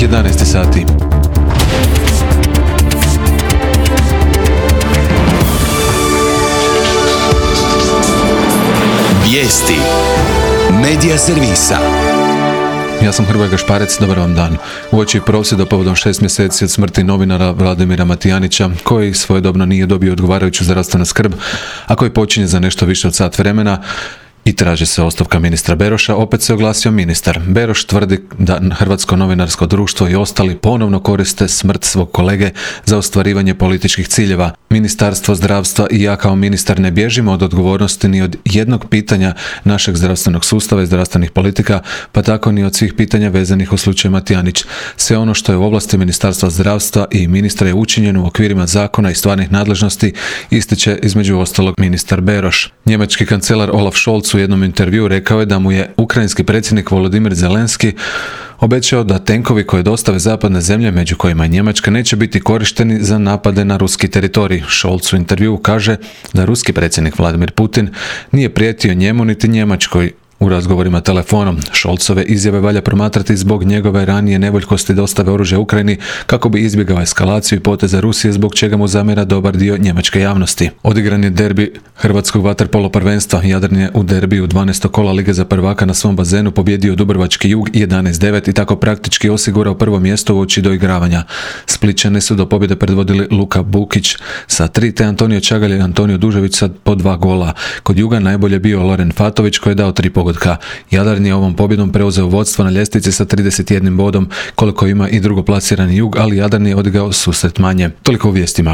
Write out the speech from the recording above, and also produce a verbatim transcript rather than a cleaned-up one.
jedanaest sati. Vijesti Medija servisa. Ja sam Hrvoje Gašparec, dobar vam dan. Uoči prosvjeda povodom šest mjeseci od smrti novinara Vladimira Matijanića, koji svojedobno nije dobio odgovarajuću zdravstvenu skrb, a koji počinje za nešto više od sat vremena, i traži se ostavka ministra Beroša, opet se oglasio ministar. Beroš tvrdi da Hrvatsko novinarsko društvo i ostali ponovno koriste smrt svog kolege za ostvarivanje političkih ciljeva. Ministarstvo zdravstva i ja kao ministar ne bježimo od odgovornosti ni od jednog pitanja našeg zdravstvenog sustava i zdravstvenih politika, pa tako ni od svih pitanja vezanih u slučaju Matijanić. Sve ono što je u ovlasti Ministarstva zdravstva i ministra je učinjeno u okvirima zakona i stvarnih nadležnosti, ističe između ostalog ministar Beroš. Njemački kancelar Olaf Scholz u jednom intervjuu rekao je da mu je ukrajinski predsjednik Volodimir Zelenski obećao da tenkovi koje dostave zapadne zemlje, među kojima je Njemačka, neće biti korišteni za napade na ruski teritorij. Scholz u intervjuu kaže da ruski predsjednik Vladimir Putin nije prijetio njemu niti Njemačkoj u razgovorima telefonom. Scholzove izjave valja promatrati zbog njegove ranije nevoljkosti dostave oružja Ukrajini kako bi izbjegao eskalaciju i poteze Rusije, zbog čega mu zamjera dobar dio njemačke javnosti. Odigran je derbi hrvatskog vaterpolo prvenstva. Jadran je u derbiju dvanaestog kola Lige za prvaka na svom bazenu pobjedio Dubrovački Jug jedanaest devet i tako praktički osigurao prvo mjesto uoči doigravanja. Splićane su do pobjede predvodili Luka Bukić sa tri, te Antonio Čagalj i Antonio Dužević sa po dva gola. Kod Juga najbolje bio Loren Fatović koji je dao tri pogotka. Jadran je ovom pobjedom preuzeo vodstvo na ljestvici sa trideset jednim bodom, koliko ima i drugoplasirani Jug, ali Jadran je odigao susret manje. Toliko u vijestima.